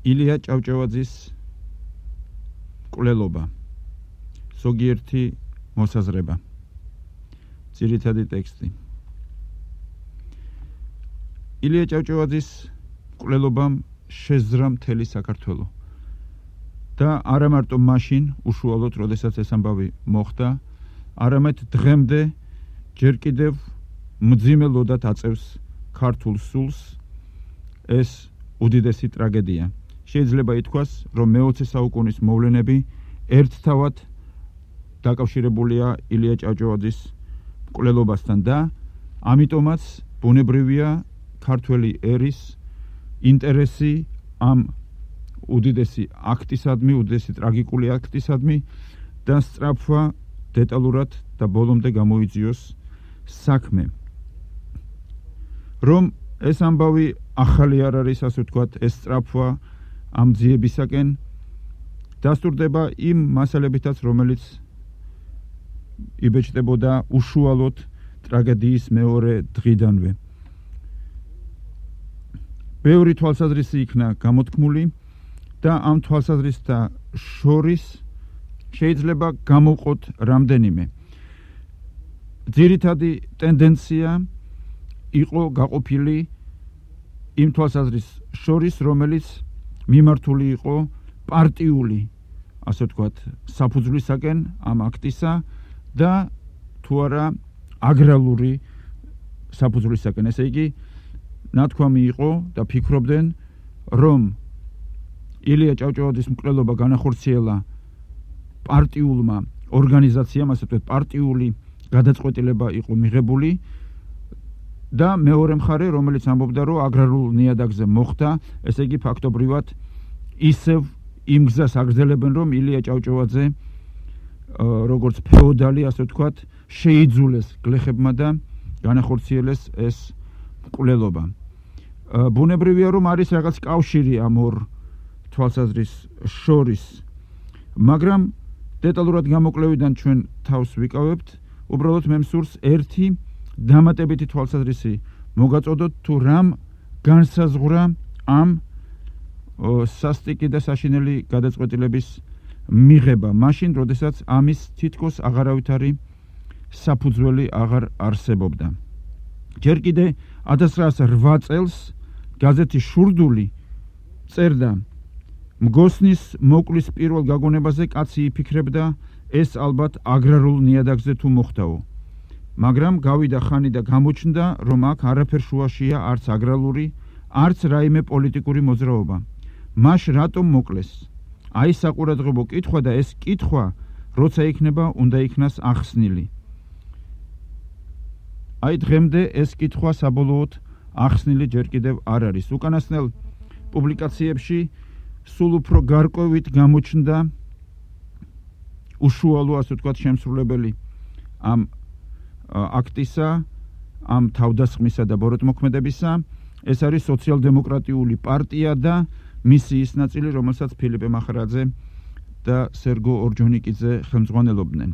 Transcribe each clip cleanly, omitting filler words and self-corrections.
ილია ჭავჭავაძის მკვლელობა, ზოგიერთი მოსაზრება, ძირითადი ტექსტი. ილია ჭავჭავაძის მკვლელობამ შეზრა მთელი საქართველო და არა მარტო მაშინ უშუალოდ, როდესაც ეს ამბავი მოხდა, არამედ დღემდე ჯერ კიდევ მძიმე ლოდად აწევს ქართულ სულს ეს უდიდესი ტრაგედია. შეიძლება ითქვას, რომ მე-20 საუკუნის მოვლენები ერთთავად დაკავშირებულია ილია ჭავჭავაძის მკვლელობასთან და ამიტომაც ბუნებრივია ქართველი ერის ინტერესი ამ უდიდესი აქტისადმი, უდიდესი ტრაგიკული აქტისადმი და სწრაფვა დეტალურად და ბოლომდე გამოიძიოს საქმე. რომ ეს ამბავი ახალი არ არის, ასე ვთქვათ, ეს სწრაფვა ამ ძიებისაკენ დასტურდება იმ მასალებითაც, რომელიც იბეჭდებოდა უშუალოდ ტრაგედიის მეორე დღიდანვე. ბევრი თვალსაზრისი იქნა გამოთქმული და ამ თვალსაზრისთა შორის შეიძლება გამოვყოთ რამდენიმე. ძირითადი ტენდენცია იყო გაყოფილი იმ თვალსაზრის შორის, რომელიც მიმართული იყო პარტიული, ასე ვთქვათ, საფუძვლისაკენ ამ აქტისა და თუ არა აგრარული საფუძვლისაკენ. ესე იგი, ნათქვამი იყო და ფიქრობდნენ, რომ ილია ჭავჭავაძის მკვლელობა განახორციელა პარტიულმა ორგანიზაციამ, ასე ვთქვათ, პარტიული გადაწყვეტილება იყო მიღებული და მეორე მხარე, რომელიც ამბობდა, რომ აგრარულ ნიადაგზე მოხდა, ესე იგი ფაქტობრივად ისევ იმ გზას აგრძელებენ, რომ ილია ჭავჭავაძე როგორც ფეოდალი, ასე ვთქვათ, შეიძულეს გლეხებმა და განახორციელეს ეს მკვლელობა. ბუნებრივია, რომ არის რაღაც კავშირი ამ ორ თვალსაზრის შორის, მაგრამ დეტალურად გამოკვლევიდან ჩვენ თავს ვიკავებთ, უბრალოდ მე მსურს ერთი დამატებითი თვალსაზრისი მოგაწოდოთ, თუ რამ განსაზღვრა ამ სასტიკი და საშინელი გადაწყვეტილების მიღება, მაშინ, როდესაც ამის თითქოს აღარავითარი საფუძველი აღარ არსებობდა. ჯერ კიდე 1908 წელს გაზეთი შურდული წერდა, მგოსნის მოკლის პირველ გაგონებაზე კაცი იფიქრებდა, ეს ალბათ აგრარულ ნიადაგზე თუ მოხდაო. მაგრამ გავიდა ხანი და გამოჩნდა, რომ აქ არაფერ შუაშია არც აგრარული, არც რაიმე პოლიტიკური მოძრაობა. მაშ რატომ მოკლეს? აი საყურადღებო კითხვა და ეს კითხვა, როცა იქნება, უნდა იქნას ახსნილი. აი დღემდე ეს კითხვა საბოლოოდ ახსნილი ჯერ კიდევ არ არის. უკანასკნელ პუბლიკაციებში სულ უფრო გარკვევით გამოჩნდა უშუალო, ასე ვთქვათ, შემსრულებელი ამ აქტისა, ამ თავდასხმისა და ბოროტმოქმედებისა. ეს არის სოციალ-დემოკრატიული პარტია და მისი ის ნაწილი, რომელსაც ფილიპე მახარაძე და სერგო ორჯონიკიძე ხელმძღვანელობდნენ.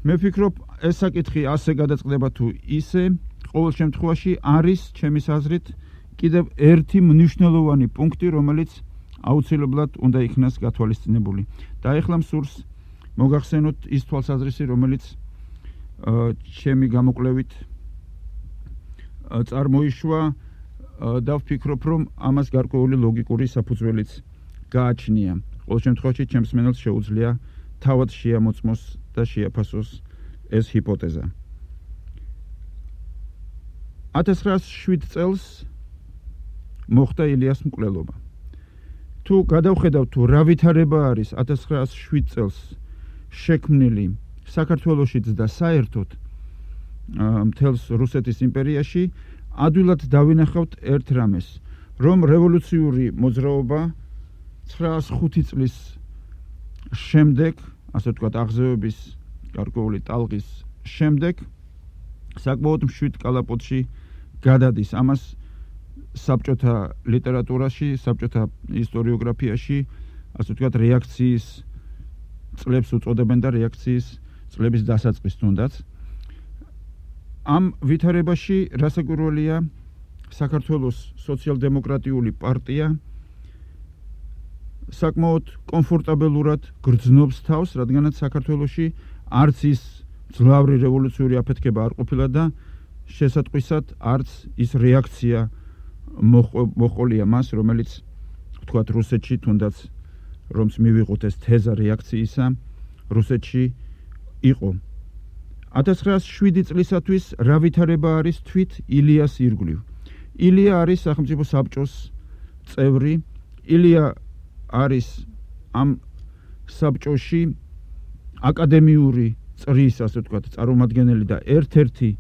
მე ვფიქრობ, ეს საკითხი ასე გადაწყდება თუ ისე, ყოველ შემთხვევაში არის ჩემის აზრით კიდევ ერთი მნიშვნელოვანი პუნქტი, რომელიც აუცილებლად უნდა იქნას გათვალისწინებული. და ეხლა მსურს მოგახსენოთ ის თვალსაზრისი, რომელიც ჩემი გამოკვლევით წარმოიშვა და ვფიქრობ, რომ ამას გარკვეული ლოგიკური საფუძველიც გააჩნია. ყოველ შემთხვევაში ჩემს მენელს შეუძლია თავად შეამოწმოს და შეაფასოს ეს ჰიპოთეზა. 1907 წელს მოხდა ილიას მკვლელობა. თუ გადავხედავ, თუ რა ვითარება არის 1907 წელს შექმნილი საქართველოშიც და საერთოდ მთელს რუსეთის იმპერიაში, ადვილად დავინახავთ ერთ რამეს, რომ რევოლუციური მოძრაობა 905 წლის შემდეგ, ასე ვთქვათ, აღზევების გარკვეული ტალღის შემდეგ, საკმაოდ მშვიდ კალაპოტში გადადის. ამას საბჭოთა ლიტერატურაში, საბჭოთა ისტორიოგრაფიაში, ასე ვთქვათ, რეაქციის წლებს უწოდებენ და რეაქციის წლების დასაწყის თუნდაც. ამ ვითარებაში რასაკვირველია, საქართველოს სოციალ-დემოკრატიული პარტია საკმაოდ კომფორტაბელურად გრძნობს თავს, რადგანაც საქართველოში არც ის ძლავრი რევოლუციური აფეთქება არ ყოფილა და შესატყვისად არც ის რეაქცია მოყოლია მას, რომელიც თქვათ რუსეთში თუნდაც რომს მივიღოთ ეს თეზა რეაქციისა რუსეთში იყო. 1907 წლისათვის რა ვითარება არის თვით ილიას ირგვლივ. ილია არის სახელმწიფო საბჭოს წევრი. ილია არის ამ საბჭოში აკადემიური წრის, ასე ვთქვათ, წარმომადგენელი და ერთ-ერთი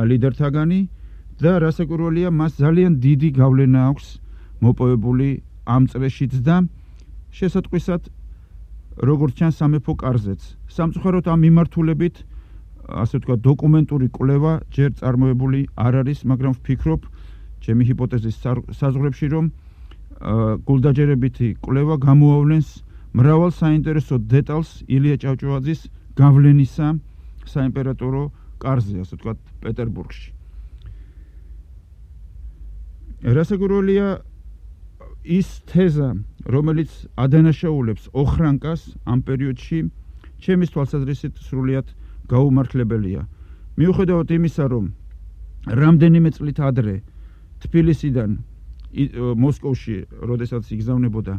ლიდერთაგანი და რასაკვირველია, მას ძალიან დიდი გავლენა აქვს მოპოვებული ამ წრეშიც და შესატყვისად როგორც ჩანს სამეფო კარზეც. სამწუხაროდ ამ მიმართულებით ასე ვთქვათ დოკუმენტური კვლევა ჯერ წარმოებული არ არის, მაგრამ ვფიქრობ ჩემი ჰიპოთეზის საზღვრებში, რომ გულდაჯერებითი კვლევა გამოავლენს მრავალ საინტერესო დეტალს ილია ჭავჭავაძის გავლენისა საიმპერატორო კარზე, ასე ვთქვათ, პეტერბურგში. რასაკვირველია ის თეზა, რომელიც ადანაშაულებს ოხრანკას ამ პერიოდში, ჩემის თვალსაზრისით სრულიად გაუმართლებელია. მიუხედავად იმისა, რომ რამდენიმე წლით ადრე თბილისიდან მოსკოვში, როდესაც იგზავნებოდა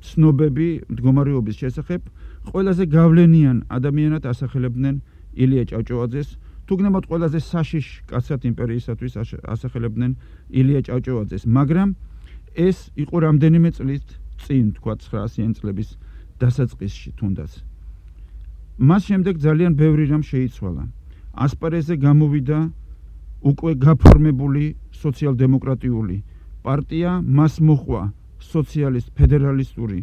ცნობები მდგომარეობის შესახებ, ყველაზე გავლენიან ადამიანად ასახელებდნენ ილია ჭავჭავაძეს, თუგნებად ყველაზე საშიშ კაცად იმპერიისათვის ასახელებდნენ ილია ჭავჭავაძეს, მაგრამ ეს იყო რამდენიმე წლით წინ, თქვა 900 წლების დასაწყისში თუნდაც. მას შემდეგ ძალიან ბევრი რამ შეიცვალა. ასპარეზზე გამოვიდა უკვე გაფორმებული სოციალ-დემოკრატიული პარტია, მას მოჰყვა სოციალისტ ფედერალისტური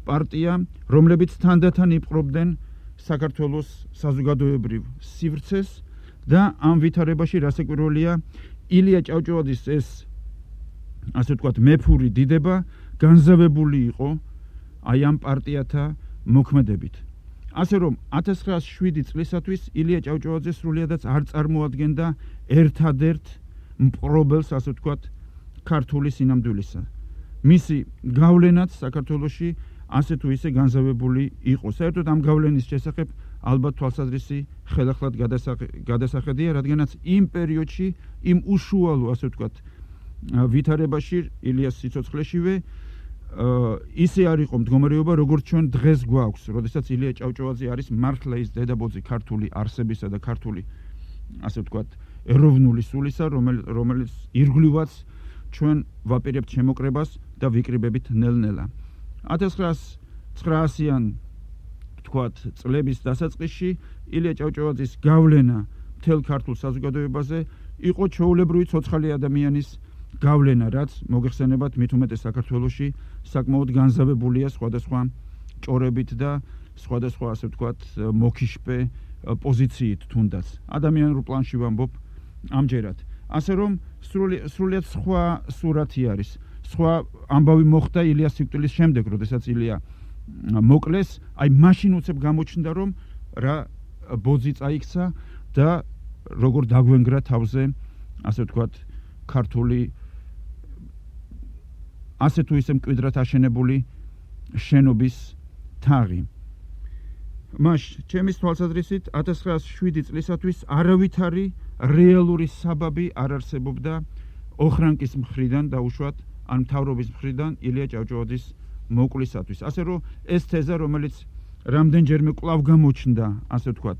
პარტია, რომლებიც თანდათან იპყრობდნენ საქართველოს საზოგადოებრივ სივრცეს და ამ ვითარებაში რასაკვირველია ილია ჭავჭავაძის ეს ასე ვთქვათ მეფური დიდება განზავებული იყო აი ამ პარტიათა მოქმედებით. ასე რომ 1907 წლისათვის ილია ჭავჭავაძე სრულიადაც არ წარმოადგენდა ერთადერთ მპყრობელს, ასე ვთქვათ, ქართული სინამდვილისა. მისი გავლენაც საქართველოში ასე თუ ისე განზავებული იყო. საერთოდ ამ გავლენის შესახებ ალბათ თვალსაზრისი ხელახლად გადასახედია, რადგანაც იმ პერიოდში, იმ უშუალო, ასე ვთქვათ, ვითარებაში ილიას სიცოცხლეშივე ისე არ იყო მდგომარეობა, როგორც ჩვენ დღეს გვაქვს, როდესაც ილია ჭავჭავაძე არის მართლა ის დედაბოძი ქართული არსებისა და ქართული, ასე ვთქვათ, ეროვნული სულისა, რომელიც ირგვლივაც ჩვენ ვაპირებთ შემოკრებას და ვიკრიბებით ნელ-ნელა. 1900-იან ვთქვათ წლების დასაწყისში ილია ჭავჭავაძის გავლენა მთელ ქართულ საზოგადოებაზე იყო ჩვეულებრივი ცოცხალი ადამიანის გავლენა, რაც მოგეხსენებათ მით უმეტეს საქართველოში საკმაოდ განზავებულია სხვადასხვა ჭორებით და სხვადასხვა, ასე ვთქვათ, მოკიშპე პოზიციით თუნდაც. ადამიანურ პლანში ვამბობ ამჯერად. ასე რომ სრულიად სხვა სურათი არის. სხვა ამბავი მოხდა ილიას სიკვდილის შემდეგ, როდესაც ილია მოკლეს, აი მაშინ უცებ გამოჩნდა, რომ რა ბოძი წაიქცა და როგორ დაგვენგრა თავზე, ასე ვთქვათ, ქართული ასე თუ ისე მკვიდრად აშენებული შენობის თაღი. მას ჩემის თვალსაზრისით 1907 წლისათვის არავითარი რეალური საბაბი არ არსებობდა ოხრანკის მხრიდან დაუშვათ ან მთავრობის მხრიდან ილია ჭავჭავაძის მოკლისათვის. ასე რომ ეს თეზა, რომელიც რამდენჯერმე კვლავ გამოჩნდა, ასე ვთქვათ,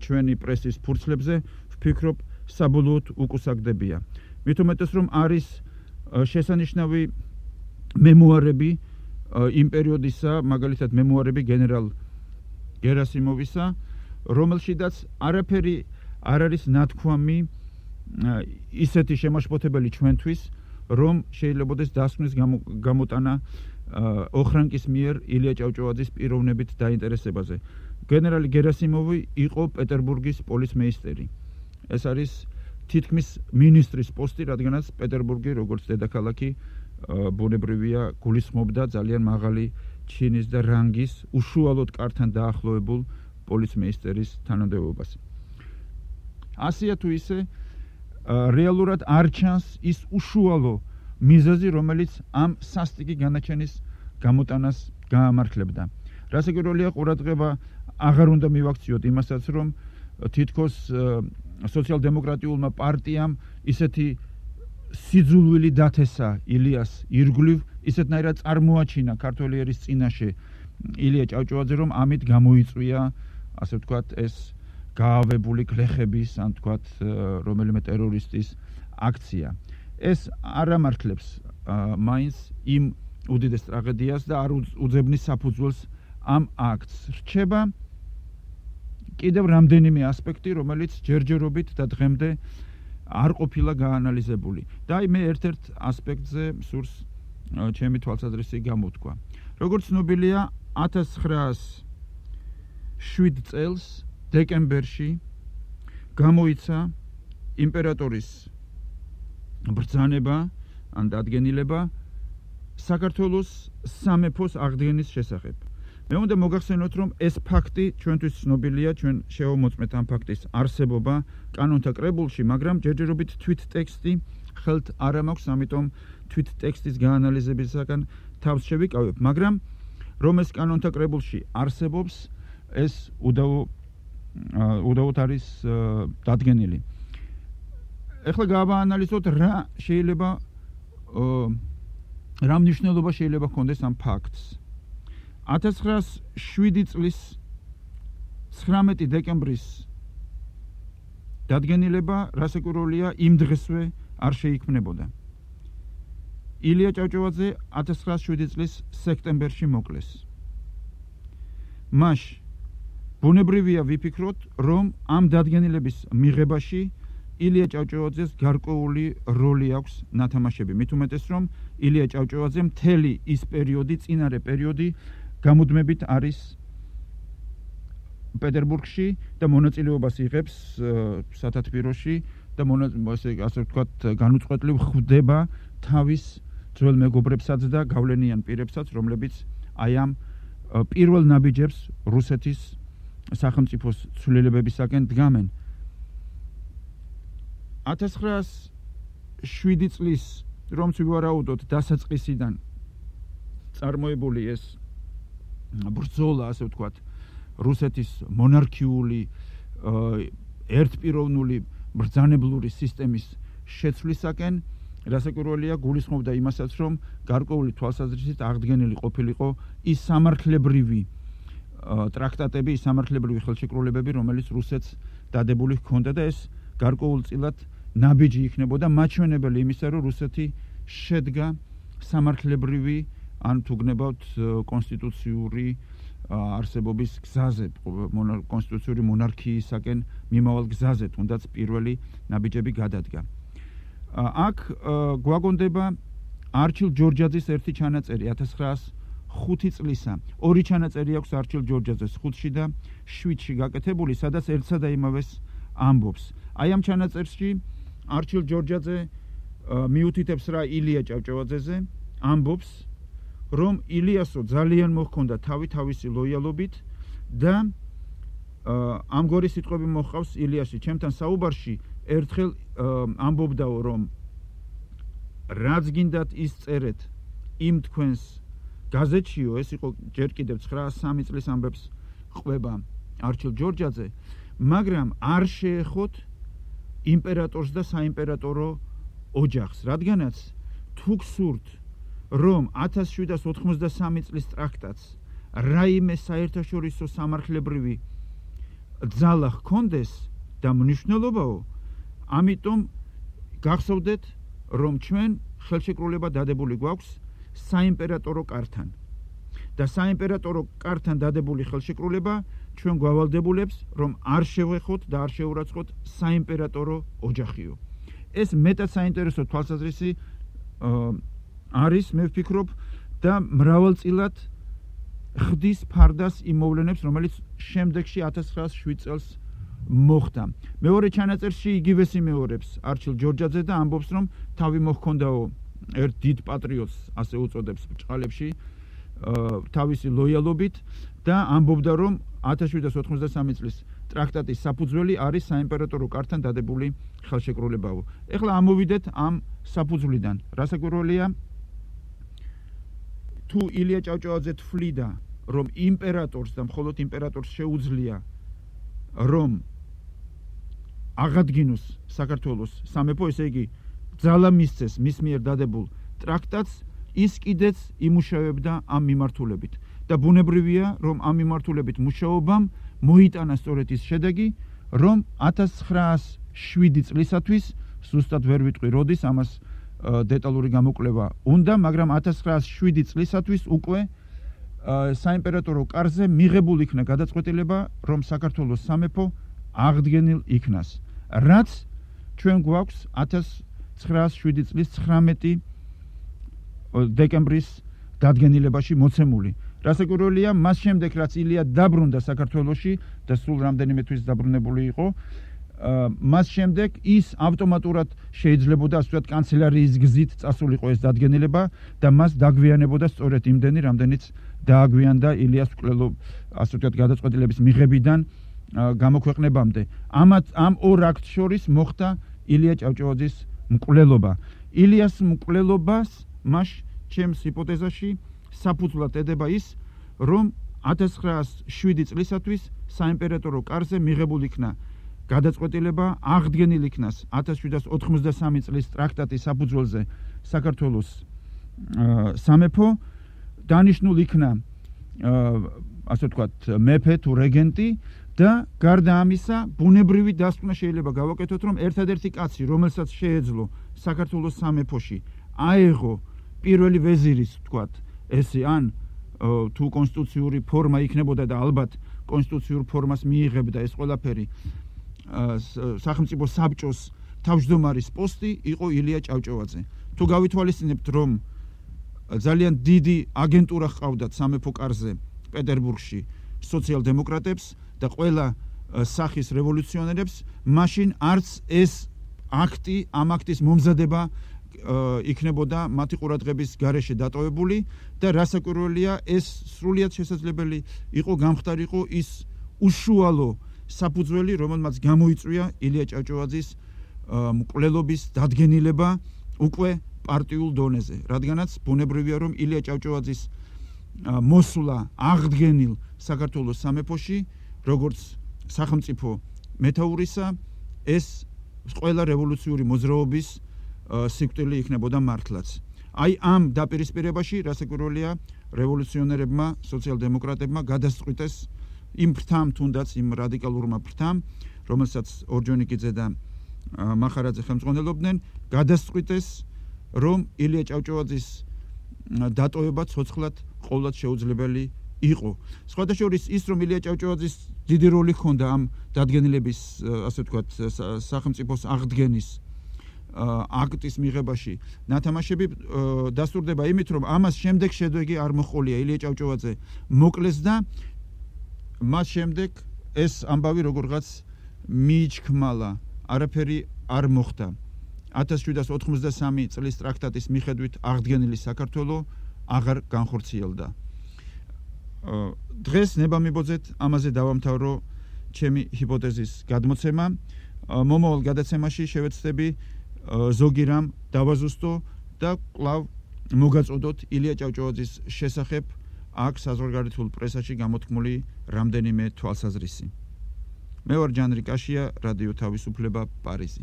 ჩვენი პრესის ფურცლებზე, ვფიქრობ, საბოლოოდ უკუსაგდებია. მით უმეტეს, რომ არის შესანიშნავი მემუარები იმ პერიოდისა, მაგალითად მემუარები გენერალ გერასიმოვისა, რომელშიდაც არაფერი არ არის ნათქვამი ისეთი შემაშფოთებელი ჩვენთვის, რომ შეიძლებოდეს დასკვნის გამოტანა ოხრანკის მიერ ილია ჭავჭავაძის პიროვნებით დაინტერესებაზე. გენერალი გერასიმოვი იყო პეტერბურგის პოლიცმეისტერი. ეს არის თითქმის მინისტრის პოსტი, რადგანაც პეტერბურგი, როგორც დედაქალაქი, ბუნებრივია გულისხმობდა ძალიან მაღალი ჩინის და რანგის უშუალოდ კართან დაახლოებულ პოლიცმეისტერის თანამდებობას. ასეა თუ ისე რეალურად არ ჩანს ის უშუალო მიზეზი, რომელიც ამ სასტიკი განაჩენის გამოტანას გაამართლებდა. რასაკვირველია, ყურადღება აღარ უნდა მივაქციოთ იმასაც, რომ თითქოს სოციალ-დემოკრატიულმა პარტიამ ისეთი სიძულვილი დათესა ილიას ირგვლივ, ისეთნაირად წარმოაჩინა ქართველი ერის წინაშე ილია ჭავჭავაძე, რომ ამით გამოიწვია, ასე ვთქვათ, ეს გაავებული გლეხების, ან ვთქვათ, რომელიმე ტერორისტის აქცია. ეს არ ამართლებს მაინც იმ უდიდეს ტრაგედიას და არ უძებნის საფუძველს ამ აქტს. რჩება კიდევ რამდენიმე ასპექტი, რომელიც ჯერჯერობით და დღემდე არ ყოფილა გაანალიზებული. და მე ერთ-ერთ ასპექტზე სურს ჩემი თვალსაზრისი გამოვთქვა. როგორც ცნობილია, 1907 წელს დეკემბერში გამოიცა იმპერატორის ბრძანება ან დადგენილება საქართველოს სამეფოს აღდგენის შესახებ. მე უნდა მოგახსენოთ, რომ ეს ფაქტი ჩვენთვის ცნობილია, ჩვენ შევამოწმეთ ამ ფაქტის არსებობა კანონთა კრებულში, მაგრამ ჯერჯერობით თვით ტექსტი ხელთ არ მაქვს, ამიტომ თვით ტექსტის გაანალიზებისაგან თავს შევიკავებ, მაგრამ რომ ეს კანონთა კრებულში არსებობს, ეს უდავოდ არის დადგენილი. ეხლა გავაანალიზოთ, რა შეიძლება რა მნიშვნელობა შეიძლება ჰქონდეს ამ ფაქტს. 1907 წლის 19 დეკემბრის დადგენილება, რასაკვირველია, იმ დღესვე არ შეიქმნებოდა. ილია ჭავჭავაძე 1907 წლის სექტემბერში მოკლეს. მაშ ბუნებრივია ვიფიქროთ, რომ ამ დადგენილების მიღებაში ილია ჭავჭავაძეს გარკვეული როლი აქვს ნათამაშები. მით უმეტეს, რომ ილია ჭავჭავაძე მთელი ის პერიოდი, წინარე პერიოდი გამუდმებით არის პეტერბურგში და მონაწილეობას იღებს სათათბიროში და ასე ვთქვათ, განუწყვეტლივ ხვდება თავის ძველ მეგობრებსაც და გავლენიან პირებსაც, რომლებიც აი ამ პირველ ნაბიჯებს რუსეთის სახელმწიფოს ცვლილებებისაკენ დგამენ. 1907 წლის, რომც ვივარაუდოთ, დასაწყისიდან წარმოებული ეს ბრძოლა, ასე ვთქვათ, რუსეთის მონარქიული ერთპიროვნული ბრძანებლური სისტემის შეცვლისაკენ, რასაკვირველია, გულისხმობდა იმასაც, რომ გარკვეული თვალსაზრისით აღდგენილი ყოფილიყო ის სამართლებრივი ტრაქტატები, ის სამართლებრივი ხელშეკრულებები, რომელიც რუსეთს დადებული ჰქონდა და ეს გარკვეულწილად ნაბიჯი იქნებოდა მაჩვენებელი იმისა, რომ რუსეთი შედგა სამართლებრივი, ან თუ გნებავთ კონსტიტუციური არსებობის გზაზე, კონსტიტუციური მონარქიისაკენ მიმავალ გზაზე, თუნდაც პირველი ნაბიჯები გადადგა. აქ გვაგონდება არჩილ ჯორჯაძის ერთი ჩანაწერი 1905 წლისა. ორი ჩანაწერი აქვს არჩილ ჯორჯაძეს 5-ში და 7-ში გაკეთებული, სადაც ერთსა და იმავეს ამბობს. აი ამ ჩანაწერში არჩილ ჯორჯაძე მიუთითებს რა ილია ჭავჭავაძეზე, ამბობს, რომ ილიასო ძალიან მოჰქონდა თავისი ლოიალობით და ამგვარი სიტყვები მოჰყავს ილიასი. ჩემთან საუბარში ერთხელ ამბობდაო, რომ რაც გინდათ ის წერეთ იმ თქვენს გაზეთშიო, ეს იყო ჯერ კიდევ 903 წლის ამბებს ყვება არჩილ ჯორჯაძე, მაგრამ არ შეეხოთ იმპერატორს და საიმპერატორო ოჯახს, რადგანაც თუ გსურთ, რომ 1793 წლის ტრაქტატს რაიმე საერთაშორისო სამართლებრივი ძალა ჰქონდეს და მნიშვნელობაო, ამიტომ გახსოვდეთ, რომ ჩვენ ხელშეკრულება დადებული გვაქვს საიმპერატორო კართან. და საიმპერატორო კართან დადებული ხელშეკრულება ჩვენ გვავალდებულებს, რომ არ შევეხოთ და არ შეურაცხოთ საიმპერატორო ოჯახიო. ეს მეტად საინტერესო თვალსაზრისი არის, მე ვფიქრობ, და მრავალწილად ხდის ფარდას იმ მოვლენებს, რომელიც შემდეგში 1907 წელს მოხდა. მეორე ჩანაწერში იგივეს იმეორებს არჩილ ჯორჯაძე და ამბობს, რომ თავი მოჰქონდაო ერთ დიდ პატრიოტს, ასე უწოდებს ბჭყალებში, თავისი ლოიალობით და ამბობდა, რომ 1793 წლის ტრაქტატის საფუძველი არის საიმპერატორო კართან დადებული ხელშეკრულებაო. ეხლა ამოვიდეთ ამ საფუძვლიდან. რასაკვირველია, თუ ილია ჭავჭავაძე თვლიდა, რომ იმპერატორს და მხოლოდ იმპერატორს შეუძლია რომ აღადგინოს საქართველოს სამეფო, ესე იგი ძალა მისცეს მის მიერ დადებულ ტრაქტატს, ის კიდეც იმუშავებდა ამ მიმართულებით. და ბუნებრივია, რომ ამ მიმართულებით მუშაობამ მოიტანა სწორედ ის შედეგი, რომ 1907 წლისათვის, ზუსტად ვერ ვიტყვი როდის, ამას დეტალური გამოკვლევა უნდა, მაგრამ 1907 წლისათვის უკვე საიმპერატორო კარზე მიღებულ იქნა გადაწყვეტილება, რომ საქართველოს სამეფო აღდგენილ იქნას. რაც ჩვენ გვაქვს 1907 წლის 19 დეკემბრის დადგენილებაში მოცემული. რასაკვირველია, მას შემდეგ რაც ილია დაბრუნდა საქართველოში და სულ რამდენიმე თვის დაბრუნებული იყო, მას შემდეგ ის ავტომატურად შეიძლებოდა ასე ვთქვათ კანცელარიის გზით წასულიყო ეს დადგენილება და მას დაგვიანებოდა სწორედ იმდენი, რამდენიც დააგვიანდა ილიას მკვლელობა, ასე ვთქვათ გადაწყვეტილების მიღებიდან გამოქვეყნებამდე. ამ ორ აქტს შორის მოხდა ილია ჭავჭავაძის მკვლელობა. ილიას მკვლელობას მას ჩემს ჰიპოთეზაში საფუძვლად ედება ის, რომ 1907 წლისათვის საიმპერატორო კარზე მიღებულ იქნა გადაწყვეტილება აღდგენილ იქნას 1793 წლის ტრაქტატის საფუძველზე საქართველოს სამეფო, დანიშნულ იქნა ასე ვთქვათ მეფე თუ რეგენტი და გარდა ამისა ბუნებრივი დასკვნა შეიძლება გავაკეთოთ, რომ ერთადერთი კაცი, რომელსაც შეეძლო საქართველოს სამეფოში აეღო პირველი ვეზირის ვთქვათ ესე ან თუ კონსტიტუციური ფორმა იქნებოდა და ალბათ კონსტიტუციურ ფორმას მიიღებდა ეს ყველაფერი სახელმწიფო საბჭოს თავმჯდომარის პოსტი იყო ილია ჭავჭავაძე. თუ გავითვალისწინებთ, რომ ძალიან დიდი აგენტურა ჰყავდათ სამეფო კარზე პეტერბურგში სოციალ-დემოკრატებს და ყველა სახის რევოლუციონერებს, მაშინ არც ეს აქტი, ამ აქტის მომზადება იქნებოდა მათი ყურადღების გარეშე დატოვებული და რასაკვირველია, ეს სრულიად შესაძლებელი იყო გამხდარიყო ის უშუალო საფუძველი, რომელმაც გამოიწვია ილია ჭავჭავაძის მკვლელობის დადგენილება უკვე პარტიულ დონეზე. რადგანაც ბუნებრივია, რომ ილია ჭავჭავაძის მოსვლა აღდგენილ საქართველოს სამეფოში, როგორც სახელმწიფო მეთაურისა, ეს ყველა რევოლუციური მოძრაობის სიკვდილი იქნებოდა მართლაც. აი ამ დაპირისპირებაში რასაკვირველია რევოლუციონერებმა, სოციალ-დემოკრატებმა გადასწყვიტეს იმ ფრთამ, თუნდაც იმ რადიკალურმა ფრთამ, რომელსაც ორჯონიკიძე და მახარაძე ხელმძღვანელობდნენ, გადასწყვიტეს, რომ ილია ჭავჭავაძის დატოვება ცოცხლად ყოვლად შეუძლებელი იყო. სხვადასხვა ის, რომ ილია ჭავჭავაძის დიდი როლი ჰქონდა ამ დადგენილების, ასე ვთქვათ, სახელმწიფოს აღდგენის აქტის მიღებაში, ნათამაშები დასტურდება იმით, რომ ამას შემდეგ შედეგი არ მოჰყოლია, ილია ჭავჭავაძე მოკლეს და მას შემდეგ ეს ამბავი როგორღაც მიიჩქმალა, არაფერი არ მოხდა. 1793 წლის ტრაქტატის მიხედვით აღდგენილი საქართველო აღარ განხორციელდა. დღეს ნება-მიბოძეთ ამაზე დავამთავრო ჩემი ჰიპოთეზის გადმოცემა. მომავალ გადაცემაში შევეცდები ზოგი რამ დავაზუსტო და კვლავ მოგაწოდოთ ილია ჭავჭავაძის შესახებ აქ საზღვარგარეთულ პრესაში გამოთქმული რამდენიმე თვალსაზრისი. მე ვარ ჯანრი კაშია, რადიო თავისუფლება, პარიზი.